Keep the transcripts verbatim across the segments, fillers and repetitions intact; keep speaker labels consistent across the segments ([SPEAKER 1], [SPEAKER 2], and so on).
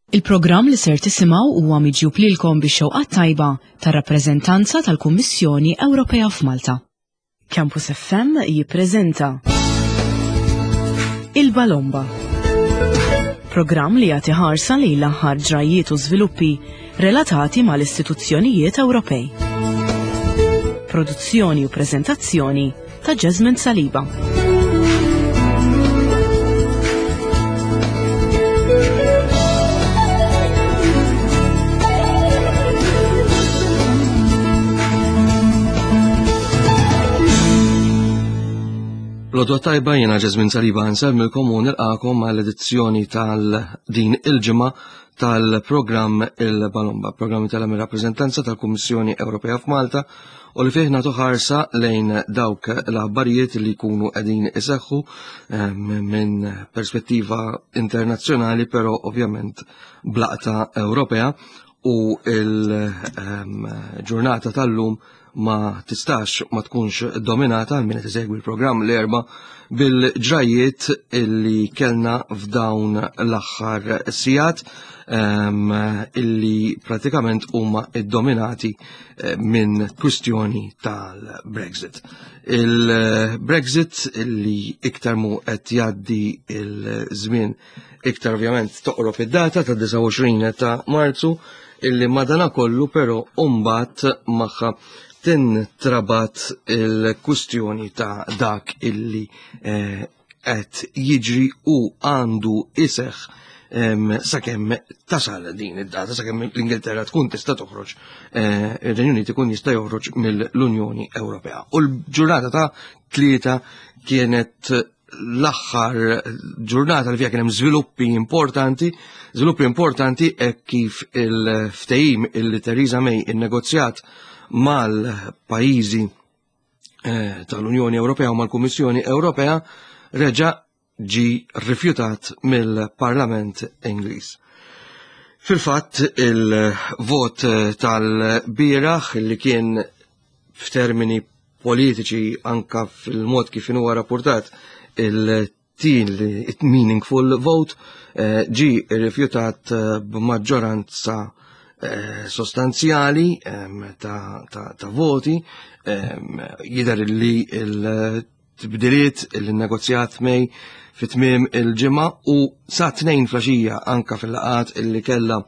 [SPEAKER 1] Il-programm li ser tisimgħu huwa miġjub lilkom bix-xewqat tajba tar-rappreżentanza tal-Kummissjoni Ewropea f'Malta. Campus F M jippreżenta Il-Balomba. Programm li jagħti ħarsa lejn l-aħħar ġrajiet u żviluppi relatati mal-istituzzjonijiet Ewropej. Produzzjoni u preżentazzjoni ta' Jasmine Saliba.
[SPEAKER 2] L-għodwa t-tajba, jiena Jasmine Saliba, nsellmilkom u nilqagħkom għall-edizzjoni tal-din il-ġimgħa tal-programm Il-Balomba, programm tal-rappreżentanza tal-Kummissjoni Ewropea f'Malta u li fih nagħtu ħarsa lejn dawk l-aħbarijiet li jkunu qegħdin iseħħu ehm, minn perspettiva internazzjonali, però ovvjament b'laqta Ewropea, u il-ġurnata tal-lum ma tistax ma tkunx dominata, għal min qed isegwi l-programm l-Erbgħa, bil-ġrajiet illi kellna f'dawn l-aħħar sigħat um, illi pratikament huma iddominati eh, minn kwistjoni tal-Brexit. Il-Brexit illi iktar mu qed jgħaddi il-żmien, iktar ovvjament toqrob id-data ta' disgħa u għoxrin ta' Marzu, illi madana kollu però mbagħad magħha tintrabat il-kwistjoni ta' dak illi eh, qed jiġri u għandu iseħ sakemm tasal din id-data, sakemm l-Ingilterra tkun tista' toħroġ, eh, ir-Renju Unit ikun jista' joħroġ mill-Unjoni Ewropea. U l-ġurnata ta' Tlieta kienet l-aħħar ġurnata li fiha kien hemm żviluppi importanti, żviluppi importanti hekk kif il-ftehim illi Theresa May innegozjat mal-pajjiżi eh, tal-Unjoni Ewropea u mal-Kummissjoni Ewropea reġa' ġi rifjutat mill-Parlament Ingliż. Fil-fatt, il-vot tal-bieraħ, li kien f'termini politiċi, anka fil-mod kif huwa rapportat, il-tin meaningful vote, eh, ġi rifjutat eh, b'maġġoranza eh, sostanzjali ta', ta, ta voti. Jidher li il-tibdiliet il-negozjat May fit-tmiem il-ġimgħa u sa tnejn filgħaxija, anka fil-laqgħat illi kella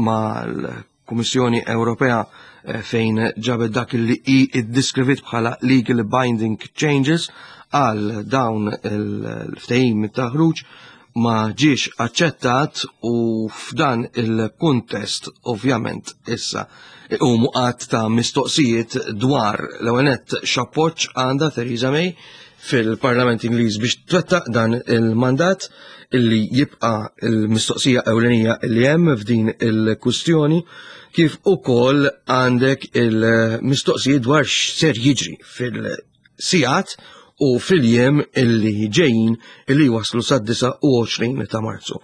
[SPEAKER 2] mal-Kummissjoni Ewropea, eh, fejn ġabet dak li i iddiskrivit bħala legal binding changes għal dawn il-ftehim ta' ħruġ, ma ġiex aċċettat. U f'dan il-kuntest ovvjament issa u għadd ta' mistoqsijiet dwar, l-ewwel nett, x'appoġġ għandha Theresa May fil-Parlament Ingliż biex twettaq dan il-mandat, illi jibqa' il-mistoqsija ewlenija illi hemm f'din il-kwistjoni, kif ukoll għandek il-mistoqsijiet dwar x'ser jiġri fil-sigħat u fil-jiem illi ġejjin illi waslu sad-disgħa u għoxrin ta' Marzu.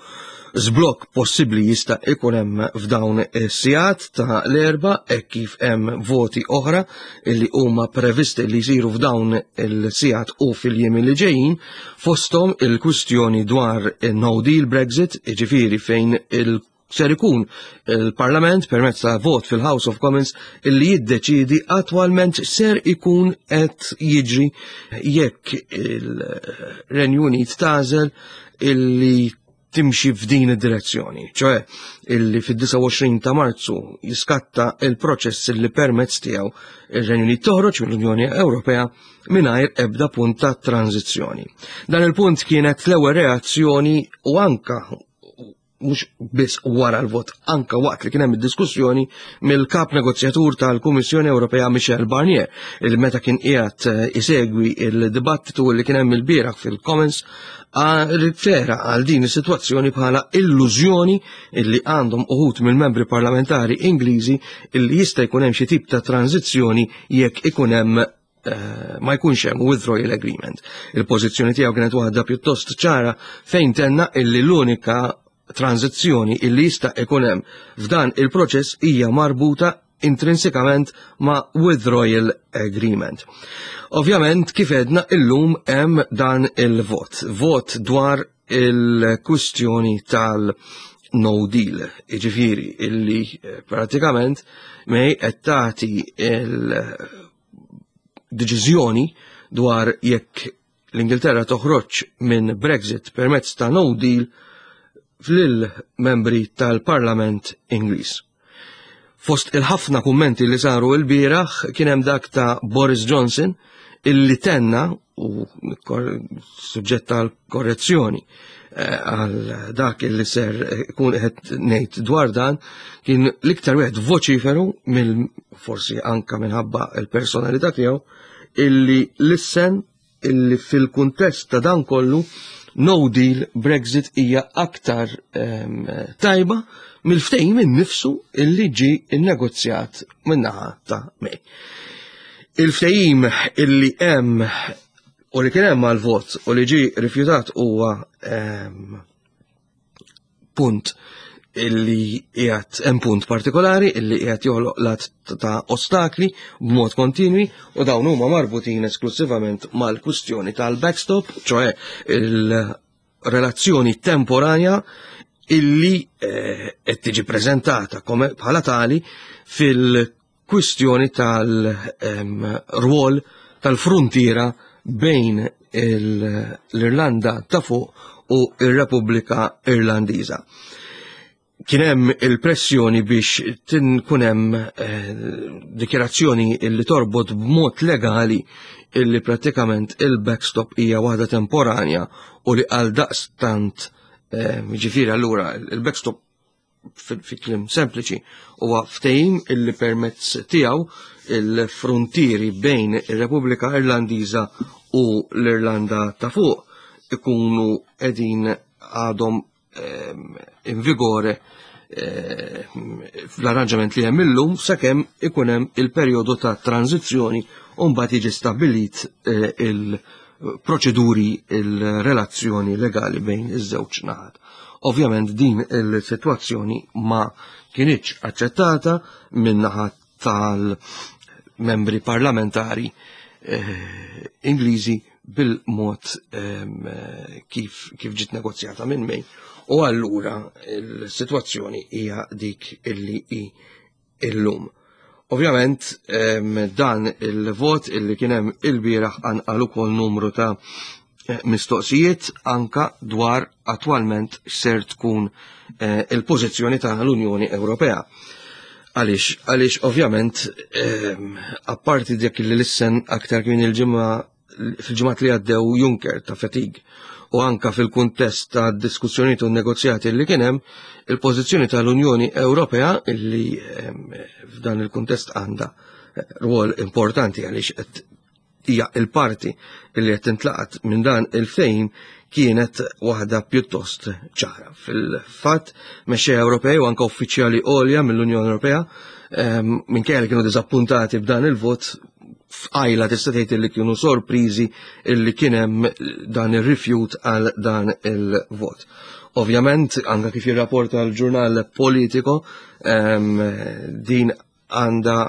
[SPEAKER 2] Żblokk possibbli jista' ikun hemm f'dawn is-sigħat ta' l-Erbgħa hekk kif hemm voti oħra illi huma previsti li jsiru f'dawn il-sigħat u fil-jiem li ġejjin, fosthom il-kwistjoni dwar no deal Brexit, jiġifieri fejn il ser ikun il-Parlament permezz ta' vot fil-House of Commons illi jiddeċidi attwalment ser ikun qed jiġri jekk il-Renju Unit tagħżel illi timxi f'din id-direzzjoni, ċoè illi fid-disgħa u għoxrin ta' Marzu jiskatta il-proċess illi permezz tiegħu ir-Renju Unit toħroġ mill-Unjoni Ewropea mingħajr ebda punt ta' tranzizzjoni. Dan il-punt kienet l-ewwel reazzjoni, u anka mhux biss wara l-vot, anka waqt li kien hemm id-diskussjoni, mill-kap negozjatur tal-Kummissjoni Ewropea Michel Barnier, il meta kien qiegħed eh, isegwi il-dibattitu li kien hemm il-bieraħ fil-Commons, rifera għal din is-sitwazzjoni bħala illużjoni illi għandhom uħud mill-membri parlamentari Ingliżi illi jista' jkun hemm xi tip ta' tranzizzjoni jekk ikun hemm eh, ma jkunx hemm withdrawal agreement. Il-pożizzjoni tiegħu kienet waħda pjuttost ċara, fejn tenna illi l-unika tranzizzjoni illi jista' ikun hemm f'dan il-proċess hija marbuta intrinsikament ma' withdrawal agreement. Ovvjament, kif għedna, illum hemm dan il-vot. Vot dwar il-kwistjoni tal- no deal, jiġifieri illi pratikament May qed tagħti il-deċiżjoni dwar jekk l-Ingilterra toħroġ minn Brexit permezz ta' no deal lil-membri tal-Parlament Ingliż. Fost il-ħafna kummenti li saru il-bieraħ kien hemm dak ta' Boris Johnson illi tenna, u suġġett tal-korrezzjoni għal dak illi ser ikun qed ngħid dwar dan, kien l-iktar wieħed voċiferu mill forsi anka minħabba il-personalità tiegħu, illi lissen illi fil-kuntest ta' dan kollu no deal Brexit hija aktar um, tajba mill-ftehim innifsu illi ġi innegozjat min-naħa ta' May. Il-ftehim illi hemm u li kien hemm għal-vot u li ġi rifjutat huwa um, punt illi qiegħed hemm punt partikolari illi qiegħed joħloq lat ta' ostakli b'mod kontinwi, u dawn huma marbutin esklusivament mal-kwistjoni tal-backstop, ċoè il-relazzjoni temporanja illi qed tiġi preżentata bħala tali fil-kwistjoni tal-rwol tal-frontiera bejn l-Irlanda ta' fuq u ir-Repubblika Irlandiża. Kien hemm il-pressjoni biex tinkun hemm dikjarazzjoni illi torbot b'mod legali illi pratikament il-backstop hija waħda temporanja u li għal daqstant, jiġifieri allura il-backstop fi kliem sempliċi huwa ftehim illi permezz tiegħu il-frontieri bejn ir-Repubblika Irlandiża u l-Irlanda ta' fuq ikunu qegħdin għadhom in vigore fl-arranġament li hemm illum sakemm ikun hemm il-perjodu ta' tranzizzjoni u mbagħad jiġi stabbilit il-proċeduri, il-relazzjoni legali bejn iż-żewġ naħat. Ovvjament din il-sitwazzjoni ma kienitx aċċettata min-naħa tal-membri parlamentari Ingliżi bil-mod kif kif ġiet negozjata minn May, u allura il-sitwazzjoni hija dik illi hi illum. Ovvjament dan il-vot illi kien hemm il-bieraħ qanqal ukoll numru ta' mistoqsijiet anka dwar attwalment x'ser tkun il-pożizzjoni tal-Unjoni Ewropea. Għaliex, għaliex ovvjament apparti dik li lissen aktar kien il-ġimgħa fil-ġimgħat li għaddew Juncker ta' fatigue, u anka fil-kuntest ta' diskussjonijiet u negozjati li kien hemm, il-pożizzjoni tal-Unjoni Ewropea illi f'dan il-kuntest għandha rwol importanti għaliex qed hija il-parti illi qed tintlaqat minn dan il-fejn kienet waħda pjuttost ċara. Fil-fatt, mexxejja Ewropej u anke uffiċjali għolja mill-Unjoni Ewropea minkejja li kienu diżappuntati b'dan il-vot, f'qajla tista' tgħid li kienu sorpriżi illi kien hemm dan ir-rifjut għal dan il-vot. Ovvjament, anke kif jirrapporta l-ġurnal Politico, din għandha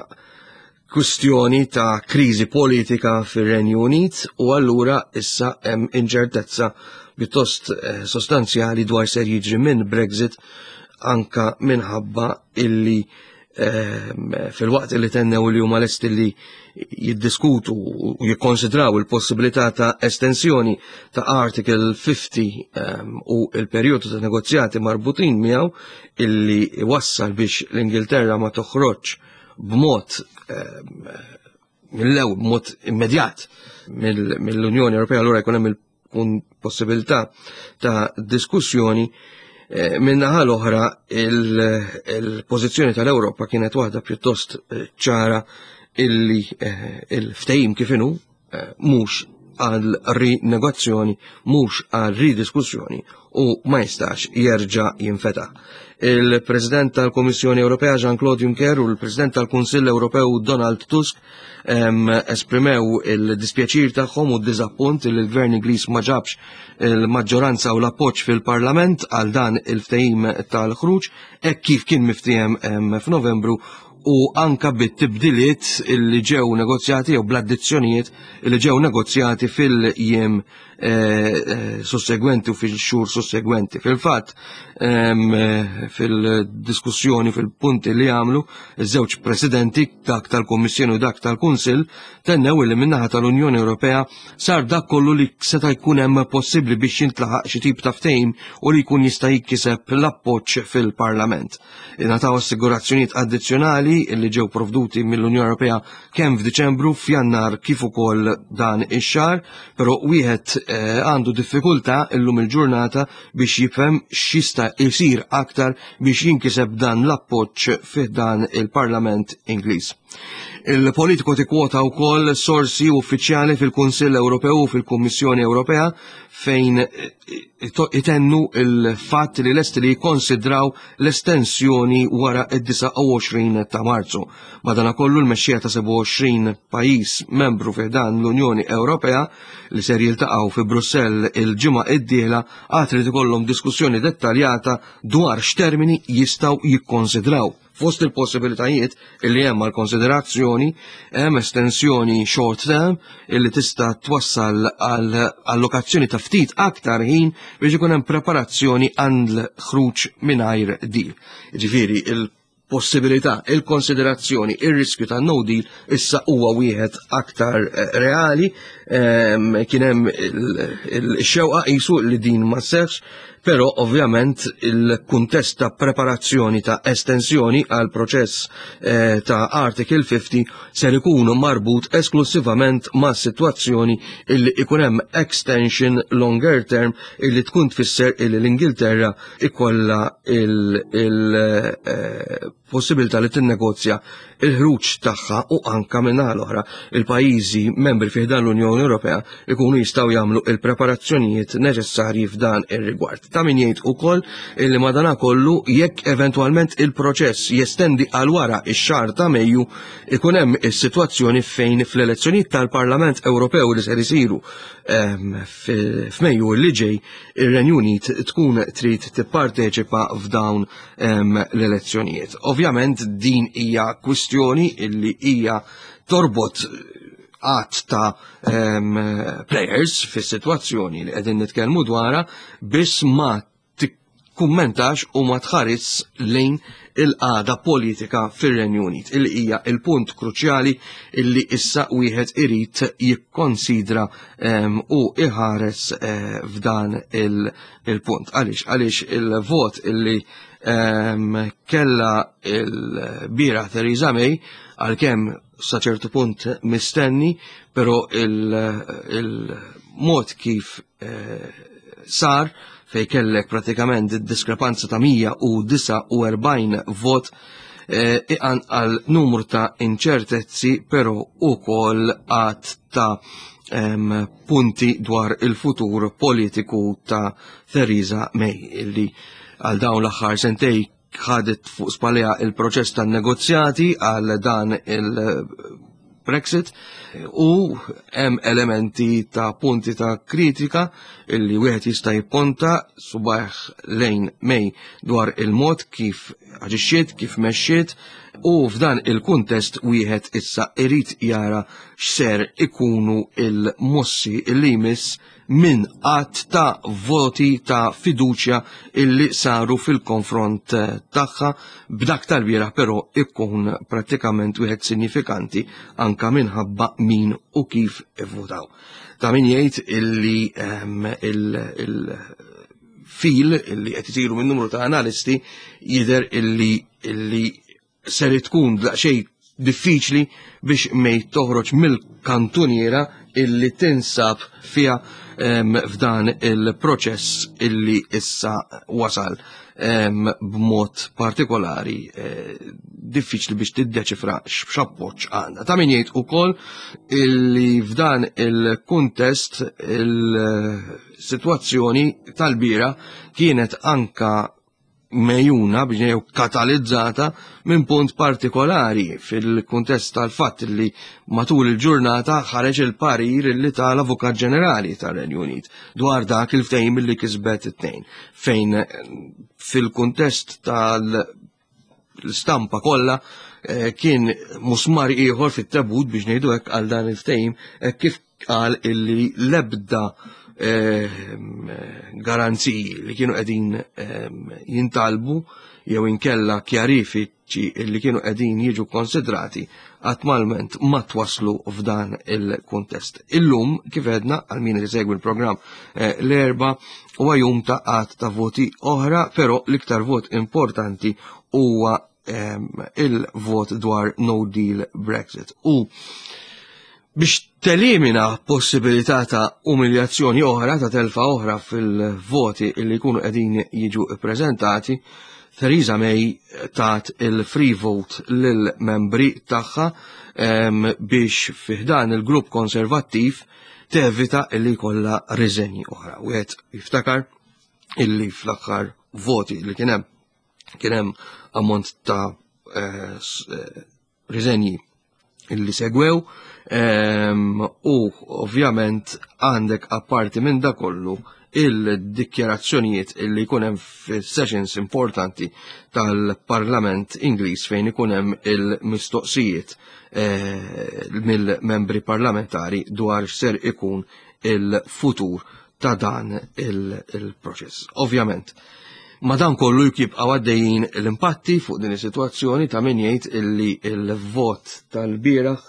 [SPEAKER 2] kwistjoni ta' kriżi politika fir-Renju Unit u allura issa hemm inċertezza pjuttost sostanzjali dwar ser jiġri minn Brexit, anka minħabba illi fil-waqt illi tennew li huma lesti li jiddiskutu u jikkonsidraw il-possibilità ta' estensjoni ta' Article fifty u il-perjodu ta' negozjati marbutin miegħu illi wassal biex l-Ingilterra ma toħroġ b'mod mill-ewwel, b'mod immedjat mill-Unjoni Ewropea, allura jkun hemm il-possibilità ta' diskussjoni. Min-naħa l-oħra il-pożizzjoni tal-Ewropa kienet waħda pjuttost ċara illi il-ftehim kif inhu mhux għal rinegozzjoni, mhux għal ridiskussjoni u ma jistax jerġa' jinfetaħ. Il-President tal-Kummissjoni Ewropea Jean-Claude Juncker u l-President tal-Kunsill Ewropew Donald Tusk esprimew il-dispjaċir tagħhom u d-diżappunt li l-Gvern Ingliż ma ġabx il-maġġoranza u l-appoġġ fil-Parlament għal dan il-ftehim tal-ħruġ hekk kif kien miftiehem f'Novembru, u anka bit-tibdiliet illi ġew negozjati jew bl-addizzjonijiet illi ġew negozjati fil-jiem eh, eh, sussegwenti u fil-xhur sussegwenti. Fil-fatt, eh, fil-diskussjoni fil-punti li għamlu, iż-żewġ presidenti, dak tal-Kummissjoni u dak tal-Kunsill, tennew li min-naħa tal-Unjoni Ewropea sar dak kollu li seta' jkun hemm possibbli biex jintlaħaq xi tip ta' ftehim u li jkun jista' jikkiseb l-appoġġ fil-Parlament. Ingħataw assigurazzjonijiet addizzjonali li ġew provduti mill-Unjoni Ewropea kemm f'Diċembru, f'Jannar kif ukoll dan ix-xahar, però wieħed eh, għandu diffikultà illum il-ġurnata biex jifhem x'jista' jsir aktar biex jinkiseb dan l-appoġġ fih dan il-Parlament Ingliż. Il-Politico tikkwota wkoll sorsi uffiċjali fil-Kunsill Ewropew u fil-Kummissjoni Ewropea fejn itennu il-fatt li lesti li jikkonsidraw l-estensjoni wara id-disgħa u għoxrin ta' Marzu. Madanakollu, l-mexxija ta' sebgħa u għoxrin pajjiż membru fi dan l-Unjoni Ewropea li ser jiltaqgħu fi Brussell il-ġimgħa id-dieħla għad irid ikollhom diskussjoni dettaljata dwar x'termini jistgħu jikkonsidraw. Fost il-possibilitajiet illi hemm għal konsiderazzjoni hemm estensjoni short term illi tista' twassal għal allokazzjoni ta' ftit aktar ħin biex ikun hemm preparazzjoni għal ħruġ mingħajr deal. Ġifieri il possibilità, il-konsiderazzjoni, il-riskju ta' no deal issa huwa wieħed aktar eh, reali, ehm, kien hemm il-xewqa qisu li din ma sseħħx, però ovvjament il-kuntest ta' preparazzjoni ta' estensjoni għal proċess eh, ta' Article fifty ser ikun marbut esklusivament ma' situazzjoni illi ikun hemm extension longer term illi tkun tfisser illi l-Ingilterra ikolla il-possibilità li tinnegozja il-ħruġ tagħha u anka minn l-oħra il-pajjiżi membri fih dan l-Unjoni Ewropea ikunu jistgħu jagħmlu il-preparazzjonijiet neċessarji f'dan ir-rigward. Ta' min jgħid ukoll illi madana kollu, jekk eventwalment il-proċess jestendi għal wara ix-xahar ta' Mejju, ikun hemm is-sitwazzjoni fejn fl-elezzjonijiet tal-Parlament Ewropew li ser isiru ehm, f'Mejju li ġej, ir-Renju Unit tkun trid tipparteċipa f'dawn ehm, l-elezzjonijiet. Ovvjament din hija kwistjoni illi hija torbot għadd ta' um, players fis-sitwazzjoni li qegħdin nitkellmu dwarha, biss ma tikkummentax u ma tħares lejn il-qagħda politika fir-Renju Unit, illi hija il-punt kruċjali illi issa wieħed irid jikkonsidra um, u iħares uh, f'dan il-punt. Għaliex? Għaliex il-vot illi um, kella il-bieraħ Theresa May, għalkemm sa ċertu punt mistenni, però il-mod kif eh, sar, fej kellek pratikament diskrepanza ta' mija u disgħa u erbgħin vot, eh, iqanqal numru ta' inċertezzi, però ukoll għadd ta' em, punti dwar il-futur politiku ta' Theresa May, illi għal dawn l-aħħar sentejn ħadet fuq spallejha il-proċess tan negozjati għal dan il-Brexit, u hemm elementi ta' punti ta' kritika illi wieħed jista' jipponta subgħajh lejn May dwar il-mod kif aġixxiet, kif mexxiet, u f'dan il-kuntest wieħed issa irid jara x'ser ikunu il-mossi illi jmiss minn għadd ta' voti ta' fiduċja illi saru fil-konfront eh, tagħha, b'dak tal-bieraħ però ikun prattikament wieħed sinifikanti anka minħabba min u kif ivvotaw. Ta' min jgħid illi ehm, il-fil illi qed isiru minn numru ta' analisti jidher illi illi ser tkun daqsxejn diffiċli biex May toħroġ mill-kantuniera illi tinsab fiha em, f'dan il-proċess illi issa wasal em, b'mod partikolari eh, diffiċli biex tiddeċifra x'appoġġ għandha. Ta' min jgħid ukoll illi f'dan il-kuntest il-sitwazzjoni tal-bieraħ kienet anka megħjuna biex jew katalizzata minn punt partikolari fil-kuntest tal-fatt li matul il-ġurnata ħareġ il-parir li tal-Avukat Ġenerali tar-Renju Unit dwar dak il-ftehim li kisbet it-Tnejn, fejn fil-kuntest tal l-istampa kollha eh, kien musmar ieħor fit-tebut biex ngħidu hekk għal dan il-ftehim eh, kif qal illi l-ebda eh, garanziji li kienu qegħdin jintalbu jew inkella kjarifiċi li kienu qegħdin jiġu konsidrati attwalment ma twaslu f'dan il-kuntest. Illum, kif għedna, għal min li segwi l-programm eh, l-Erbgħa, huwa jum ta' għadd ta' voti oħra, però l-iktar vot importanti huwa il-vot dwar no deal Brexit. U biex telimina possibilità ta' umiljazzjoni oħra, ta' telfa oħra fil-voti illi jkunu qegħdin jiġu prezentati, Theresa May tat il-free vote lill-membri tagħha biex fi ħdan il-grupp konservattiv tevita illi jkollha riżenji oħra. Wieħed jiftakar illi fl-aħħar voti li kien hemm kien hemm ammont ta' eh, eh, riżenji illi segwew u ovvjament għandek apparti minn da kollu il-dikjarazzjonijiet illi jkun hemm sessions importanti tal-Parlament Ingliż fejn ikun hemm il-mistoqsijiet eh, mill-membri parlamentari dwar ser ikun il-futur ta' dan il-proċess. Ovvjament, ma dan kollu jibqa' għaddejjin l-impatti fuq din is-sitwazzjoni. Ta' min jgħid illi il-vot tal-bieraħ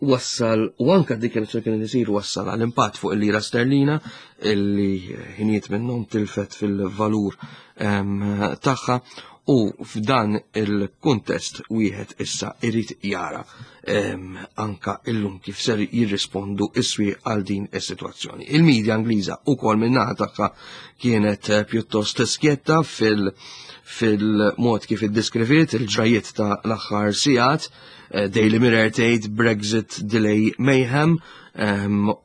[SPEAKER 2] wassal u anka dikjarazzjoni kien isir wassal għal impatt fuq il-lira sterlina illi ħinijiet minnhom tilfet fil-valur tagħha. U f'dan il-kuntest wieħed issa irid jara anka illum kif ser jirrispondu is-swieq għal din is-sitwazzjoni. Il-medja Ingliża ukoll min-naħa tagħha kienet eh, pjuttost skjetta fil- fil-mod kif iddeskriviet il-ġrajiet ta' l-aħħar sigħat. eh, Daily Mirror tgħid "Brexit Delay Mayhem"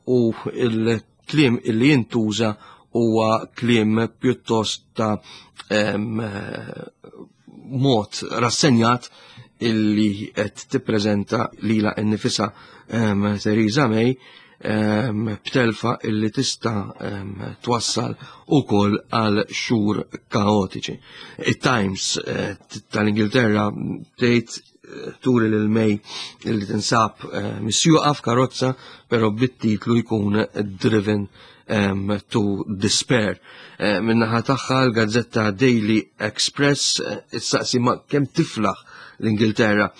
[SPEAKER 2] u il-kliem illi jintuża huwa kliem pjuttost ta' mod rassenjat illi qed tippreżenta lila nnifisha Theresa May b'telfa illi tista' twassal ukoll għal xhur kaotiċi. Il-Times eh, tal-Ingilterra tgħid eh, turi lil May illi tinsab eh, misjuqa f'karozza, però bit-titlu jkun "Driven um, to Despair". Uh, Min-naħa tagħha l-gazzetta Daily Express issaqsi ma kemm tiflaħ l-Ingilterra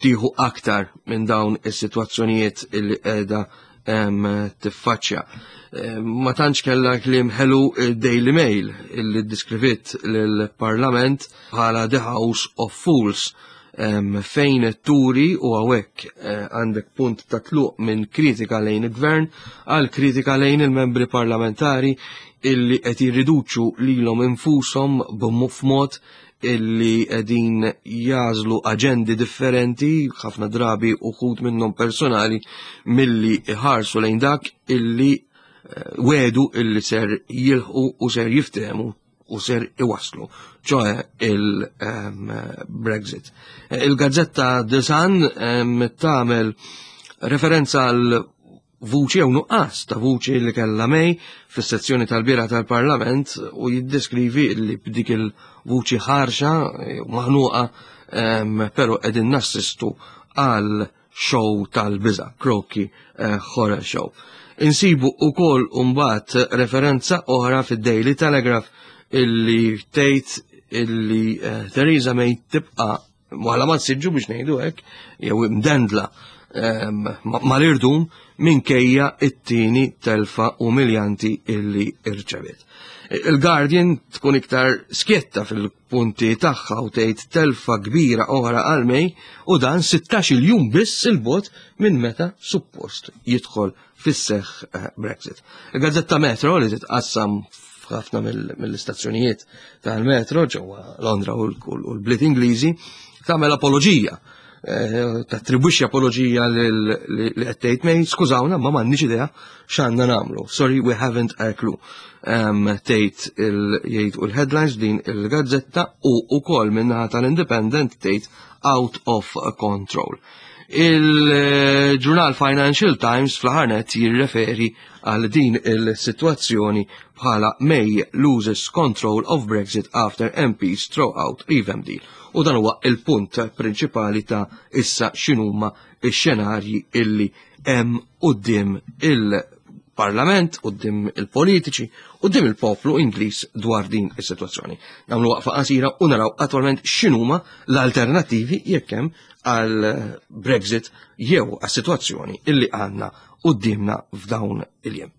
[SPEAKER 2] tieħu aktar minn dawn is-sitwazzjonijiet illi qiegħda um, tiffaċċja. Ma tantx kellha kliem ħelu Daily Mail illi ddiskriviet lill-Parlament bħala "The House of Fools", um, fejn turi u hawnhekk eh, għandek punt ta' tluq minn kritika lejn il-gvern għal kritika lejn il-membri parlamentari illi qed jirriduċu lilhom infushom b'mod illi qegħdin jagħżlu aġendi differenti, ħafna drabi uħud minnhom personali, milli iħarsu lejn dak illi eh, wedu illi ser jilħqu u ser jiftehmu u ser iwaslu, ċoè il-Brexit. Il-gazzetta The Sun tagħmel referenza għal vuċi jew nuqqas ta' vuċi li kellha May fis-sezzjoni tal-bieraħ tal-Parlament u jiddeskrivi li b'dik il-vuċi ħarxa u maħnuqa, però qegħdin nassistu għal show tal-biża, Rocky eh, Horror Show. Insibu ukoll mbagħad referenza oħra fid-Daily Telegraph illi tgħid illi eh, Theresa May tibqa' wara ma siġġu biex ngħidu hekk jew imdendla mal-irdum minkejja it-tieni telfa umiljanti illi irċeviet. Il-Guardian tkun iktar skjetta fil-punti tagħha u tgħid telfa kbira oħra għal May u dan sittax-il jum biss il-bogħod minn meta suppost jidħol fis-seħħ eh, Brexit. Il-Gazzetta Metro, li titqassam f'ħafna mill-istazzjonijiet tal-metro ġewwa Londra u l-bliet Ingliżi, tagħmel apoloġija, eh, tattribwixxi apoloġija li qed tgħid May: "Skużawna, ma m'għandniex idea x'għandna nagħmlu. Sorry, we haven't a clue." Tgħid jgħid u l-headlines din il-gazzetta u ukoll min-naħa tal-Independent tgħid "Out of control". Il-ġurnal Financial Times fl-aħħar nett jirreferi għal din il-sitwazzjoni bħala "May loses control of Brexit after M Ps throw out revamp deal". U dan huwa il-punt prinċipali ta' issa x'inhuma x-xenarji illi hemm quddiem il-Parlament, quddiem il-politiċi, quddiem il-poplu Ingliż dwar din is-sitwazzjoni. Nagħmlu waqfa qasira u naraw attwalment x'inhuma l-alternattivi, jekk hemm, għal Brexit jew għas-sitwazzjoni illi għandna quddiemna f'dawn il-jiem.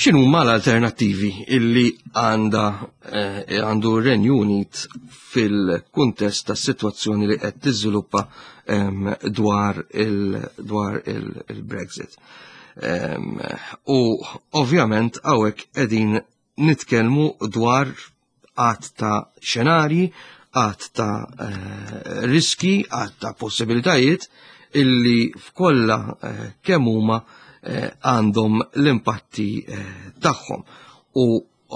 [SPEAKER 2] X'inhuma l-alternattivi illi għanda eh, għandu r-Renju Unit fil-kuntest ta' situazzjoni li qed tiżviluppa em, dwar il- dwar il-Brexit? Em, u ovvjament hawnhekk qegħdin nitkellmu dwar għadd ta' xenarji, għadd ta' eh, riski, għadd ta' possibilitajiet illi f'kollha eh, kemm huma eh, għandhom l-impatti eh, tagħhom. U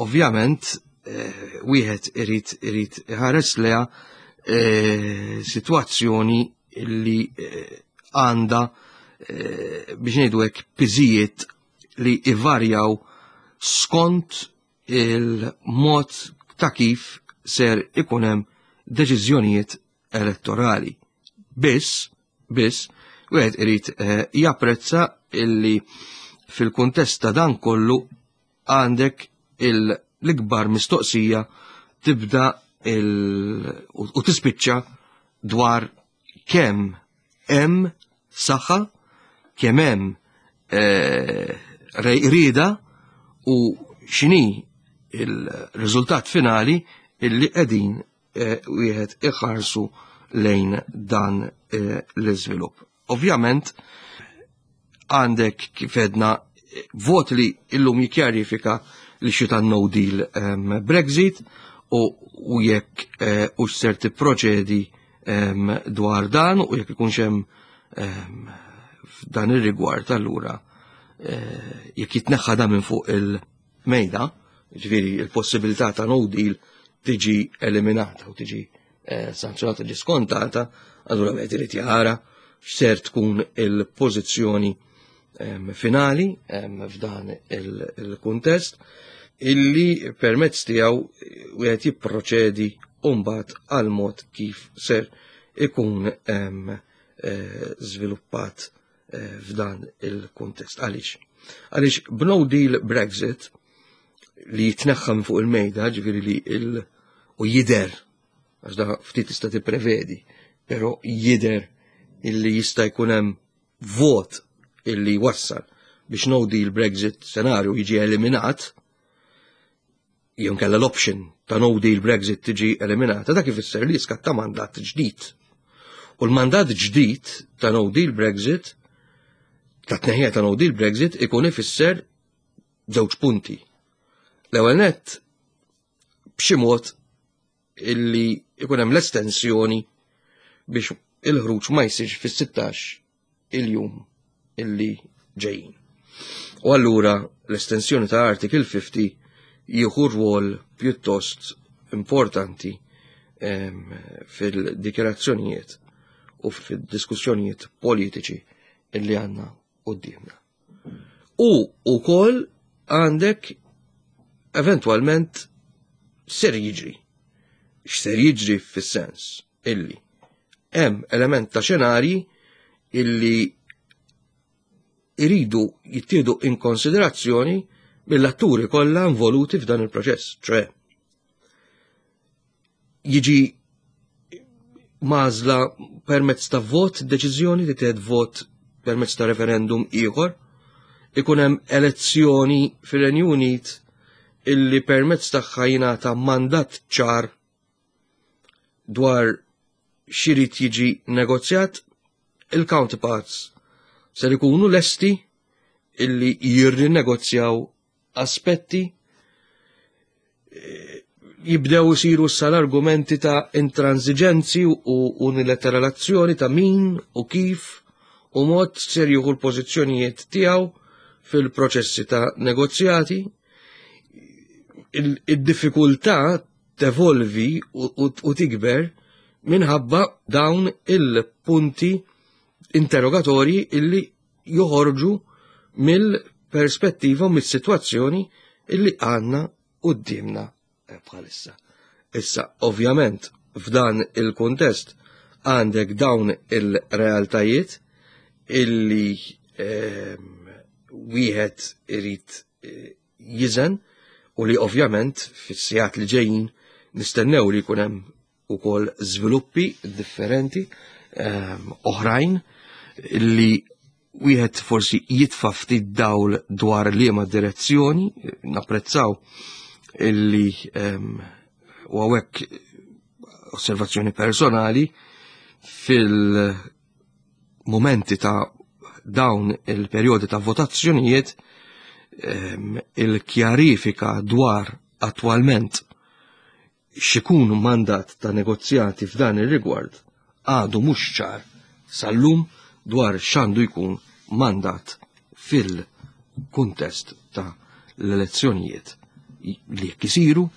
[SPEAKER 2] ovvjament eh, wieħed irid irid iħares leha eh, sitwazzjoni illi eh, għandha eh, biex ngħidu hekk piżijiet li ivarjaw skont il-mod ta' kif ser ikun hemm deċiżjonijiet elettorali. Biss, biss, wieħed irid eh, japprezza illi fil-kuntest ta' dan kollu għandek l-ikbar mistoqsija tibda il u tispiċċa dwar kemm hemm saħħa, kemm hemm eh, rieda u x'inhi il-riżultat finali illi qegħdin eh, wieħed iħarsu lejn dan eh, l-iżvilupp. Ovvjament għandek, kif għedna, vot li illum jikjarifika li xita no deal um, Brexit u, u jekk uh, u ser tipproċedi um, dwar dan u jekk ikunx hemm um, f'dan ir-rigward, allura uh, jekk jitneħħa dan minn fuq il-mejda, ġifieri il-possibilità ta' no deal tiġi eliminata u tiġi eh, sanzjonata, tiġi skontata, allura wieħed irid jara x'ser tkun il-pożizzjoni em, finali em, f'dan il-kuntest illi permezz tiegħu wieħed jipproċedi mbagħad għal mod kif ser ikun em, eh, żviluppat eh, f'dan il-kuntest. Għaliex? Għaliex b'no deal Brexit li jitneħħa minn fuq il-mejda, ġifieri li il u jider, għax da ftit tista' tipprevedi, però jider illi jista' jkun hemm vot illi wassal biex no deal Brexit senarju jiġi eliminat, jew kella l-option ta' no deal Brexit tiġi eliminata, dak ifisser li jiskatta mandat ġdid. U l-mandat ġdid ta' no deal Brexit, ta' tneħħija ta' no deal Brexit, ikun ifisser żewġ punti. L-ewwel nett, b'xi mod illi ikun hemm l-estensjoni biex il-ħruġ ma jsirx fis-sittax il-jum illi ġejjin. U allura l-estensjoni ta' Article fifty jieħu rwol pjuttost importanti em, fil-dikjarazzjonijiet u fil-diskussjonijiet politiċi illi għandna quddiemna. U ukoll għandek eventualment ser jiġri. X'ser jiġri fis-sens illi hemm element ta' xenarji illi iridu jittieħdu in konsiderazzjoni mill-atturi kollha involuti f'dan il-proċess, ċoè jiġi mażla permezz ta' vot, deċiżjoni li tieħed vot permezz ta' referendum ieħor, ikun hemm elezzjoni fir-Renju Unit illi permezz tagħha jingħata mandat ċar dwar x'irid jiġi negozjat. Il-counterparts ser ikunu lesti illi jirrinegozjaw aspetti, eh, jibdew isiru sal-argumenti ta' intransiġenzi u unilateralazzjoni ta' min u kif u mod ser jieħu l-pożizzjonijiet tiegħu fil-proċessi ta' negozjati. Id-diffikultà tevolvi u tikber minħabba dawn il-punti interrogatorji illi joħorġu mill-perspettiva u mis-sitwazzjoni illi għandna qudiemna bħalissa. Issa, ovvjament, f'dan il-kontest għandek dawn il-realtajiet illi ehm, wieħed irid eh, jiżen u li ovvjament fis-sigħat li ġejjin nistennew li jkun hemm ukoll żviluppi differenti ehm, oħrajn li wieħed forsi jitfa' ftit dawl dwar liema direzzjoni. Napprezzaw illi ehm, u hawnhekk osservazzjoni personali, fil-momenti ta' dawn il-perjodi ta' votazzjonijiet, ehm, il-kjarifika dwar attwalment x'ikun mandat ta' negozjati f'dan ir-rigward għadu mhux ċar sal-lum dwar x'għandu jkun mandat fil-kuntest ta' l-elezzjonijiet li jekk isiru,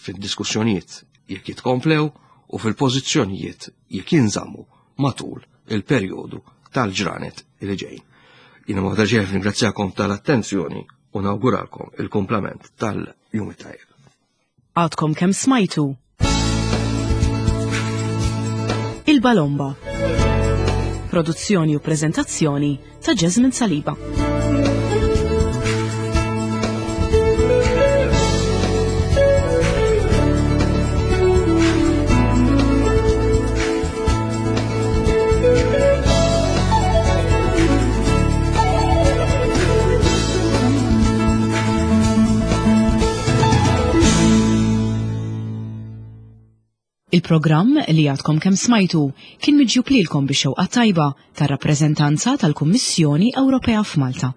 [SPEAKER 2] fid-diskussjonijiet jekk jitkomplew u fil-pożizzjonijiet jekk jinżammu matul il-perjodu tal-ġranet li ġejjin. Jiena ma ġejf ringrazzjakom tal-attenzjoni u nawguralkom il-kumplament tal-jum tajjeb.
[SPEAKER 1] Għadkom kemm smajtu Il-Balomba. Produzzjoni u preżentazzjoni ta' Jasmine Saliba. Il-programm li għadkom kemm smajtu kien miġjub lilkom bix-xewqa tajba tar-rappreżentanza tal-Kummissjoni Ewropea f'Malta.